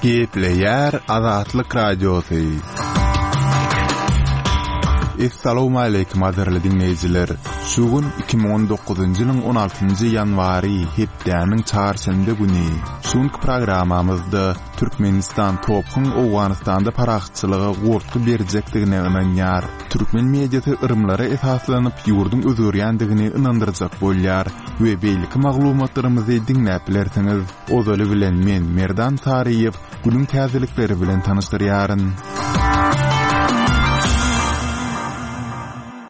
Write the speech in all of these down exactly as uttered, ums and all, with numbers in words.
Gepleýär Azatlyk Radiosy. Essalawmaleýkim gadyrly diňleýjiler! Şu gün iki müň on dokuzynjy ýylyň on altynjy ýanwary, hepdäniň çarşenbe güni. Şu günki programmamyzda Türkmenistan TOPH-yň Owganystanda parahatçylyga goltgy berjekdigine ynanýar. Türkmen mediasy yrymlara esaslanyp ýurduň özgerýändigini ynandyrjak bolýar we beýleki maglumatlarymyzy diňläp bilersiňiz. Ozaly bilen men Merdan Saryýew günüň täzelikleri bilen tanyşdyrýaryn.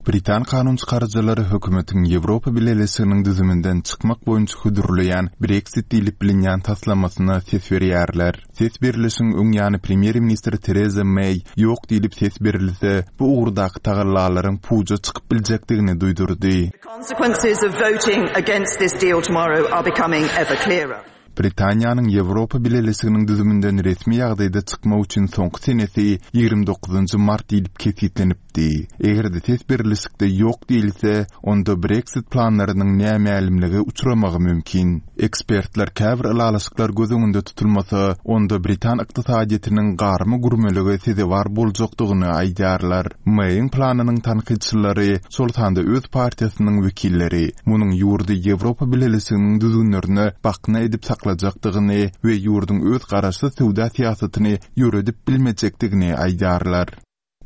Britan kanun çykaryjylary hökümetiň Ýewropa Bileleşiginiň düzüminden çykmak boýunça hödürleýän Brexit diýlip bilinýän taslamasyna ses berýärler. Ses berlişiň öň ýany premýer-ministr Tereza Meý ýok diýlip ses berilse, bu ugurdaky tagallalaryň puja çykyp biljekdigini duýdurdy. The consequences of voting against this deal tomorrow are becoming ever clearer. Britaniýanyň Ýewropa Bileleşiginiň düzüminden resmi ýagdaýda çykmak üçin soňky senesi ýigrimi dokuzynjy mart diýlip kesgitlenipdi. Eger-de ses berlişikde ýok diýilse, onda Brexit planlarynyň nämälimlige uçramagy mümkin. Ekspertler käbir ylalaşyklar göz öňünde tutulmasa, onda britan ykdysadyýetiniň garma-gürmelige sezewar boljakdygyny aýdýarlar. Meýiň planynyň tankytçylary, şol sanda öz partiýasynyň wekilleri, munuň ýurdy Ýewropa Bileleşiginiň düzgünlerine bakna edip saklajakdygyny we ýurduň öz garaşsyz söwda syýasatyny ýöredip bilmejekdigini aýdýarlar.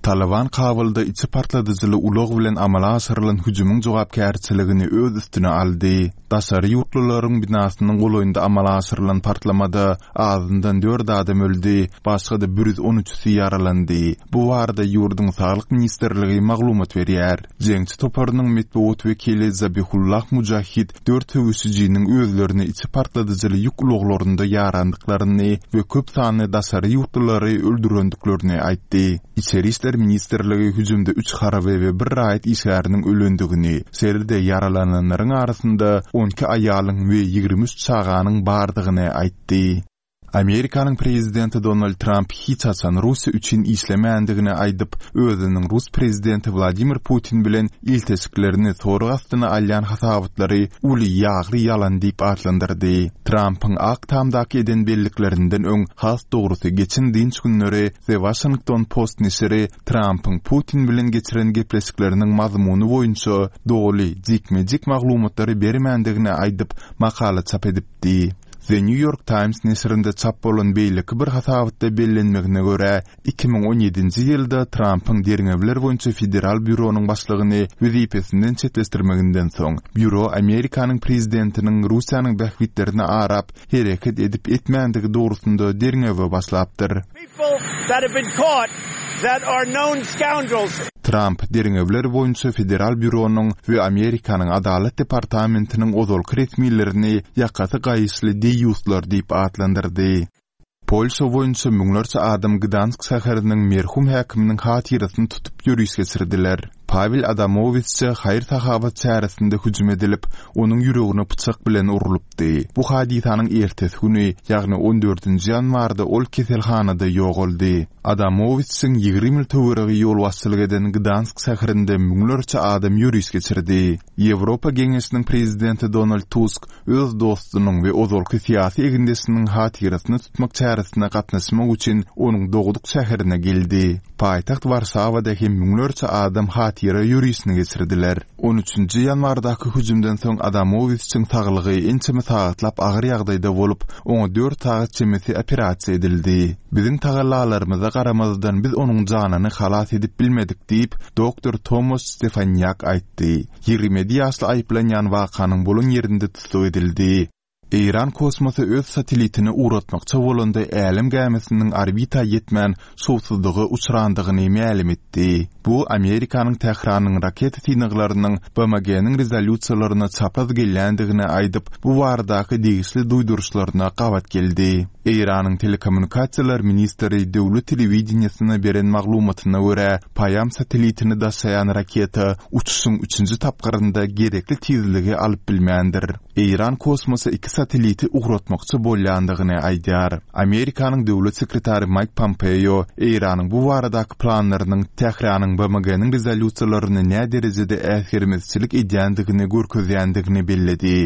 Taliban Kabulda içi partladyjyly ulag bilen amala aşyrylan hüjümiň jogapkärçiligini öz üstüne aldy. Daşary ýurtlularyň binasynyň golaýynda amala aşyrylan partlamada azyndan dört adam öldi, başga-da bir ýüz on üçüsi ýaralandy. Bu barada ýurduň Saglyk ministrligi maglumat berýär. Jeňçi toparynyň metbugat wekili Zabihullah Mujahid dört söweşijiniň özlerini içi partladyjyly ýük ulaglarynda ýarandyklaryny we köp sanly daşary ýurtlulary öldürendiklerini aýtdy. Içeri işler ministrligi hüjümde üç harby we bir raýat işgäriniň ölendigini, şeýle-de ýaralananlaryň arasynda on iki aýalyň we ýigrimi üç çaganyň bardygyny aýtdy. Amerikanyň prezidenti Donald Tramp hiç haçan Russiýa üçin işlemändigini aýdyp, özüniň rus prezidenti Wladimir Putin bilen ilteşiklerini sorag astyna alýan hasabatlary uly ýagly ýalan diýip atlandyrdy. Trampyň Ak Tamdaky eden belliklerinden öň, has dogrusy geçen dynç günleri The Washington Post neşiri Trampyň Putin bilen geçiren gepleşikleriniň mazmuny boýunça doly, jikme-jik maglumatlary bermändigini aýdyp, makala çap edipdi. The New York Times neşirinde çap bolan beýleki bir hasabatda bellenmegine görä, iki müň on ýedinji ýylda Trampyň derňewler boýunça federal býuronyň başlygyny wezipesinden çetleşdirmeginden soň, býuro Amerikanyň prezidentiniň Russiýanyň bähbitlerini arap hereket edip etmändigi dogrusynda derňewe başlapdyr. People that have been caught that are known scoundrels. Tramp derňewler boýunça federal býuronyň we Amerikanyň Adalat departamentiniň ozalky resmilerini ýakasy gaýyşly deýýuslar diýip atlandyrdy. Polşa boýunça müňlerçe adam Gdansk şäheriniň merhum häkiminiň hatyrasyny tutup ýöriş geçirdiler. Pawel Adamowiçe haýyr-sahawat çäresinde hüjüm edilip, onuň ýüregine pyçak bilen urlupdy. Bu hadysanyň ertesi güni, ýagny on dördünji ýanwarda ol keselhanada ýogaldy. Adamowiçiň ýigrimi ýyl töweregi ýolbaşçylyk eden Gdansk şäherinde müňlerçe adam ýöriş geçirdi. Ýewropa Geňeşiniň prezidenti Donald Tusk öz dostunyň we ozalky syýasy egindeşiniň hatyrasyny tutmak çäresine gatnaşmak üçin onuň dogduk şäherine geldi. Paýtagt Warşawada hem müňlerçe adam hatyra ýörişini geçirdiler. On üçünji ýanwardaky hüjümden soň Adamowiçiň saglygy ençeme sagatlap agyr ýagdaýda bolup, oňa dört sagat çemesi operasiýa edildi. Biziň tagallalarymyza garamazdan biz onuň janyny halas edip bilmedik diýip, doktor Tomasz Stefanýak aýtdy. Ýigrimi ýedi ýaşly aýyplanýan wakanyň bolan ýerinde tussag edildi. Eýran kosmosa öz satellitini ugratmakça bolanda älem gämisiniň orbita ýetmän şowsuzlyga uçrandygyny mälim etdi. Bu Amerikanyň Tähranyň raketa synaglarynyň B M G-niň rezolýusiýalaryna çapraz gelýändigini aýdyp, bu baradaky degişli duýduryşlaryna gabat geldi. Eýranyň telekommunikasiýalar ministri döwlet telewideniýesine beren maglumatyna görä, Paýam satellitini daşaýan raketa uçuşyň üçünji tapgyrynda gerekli tizligi alyp bilmändir. Eýran kosmosa iki satelliti ugratmakçy bolýandygyny aýdýar. Amerikanyň döwlet sekretary Maýk Pompeo Eýranyň bu baradaky planlarynyň Tähranyň B M G-niň rezolýusiýalaryny nä derejede äsgermezçilik edýändigini görkezýändigini belledi.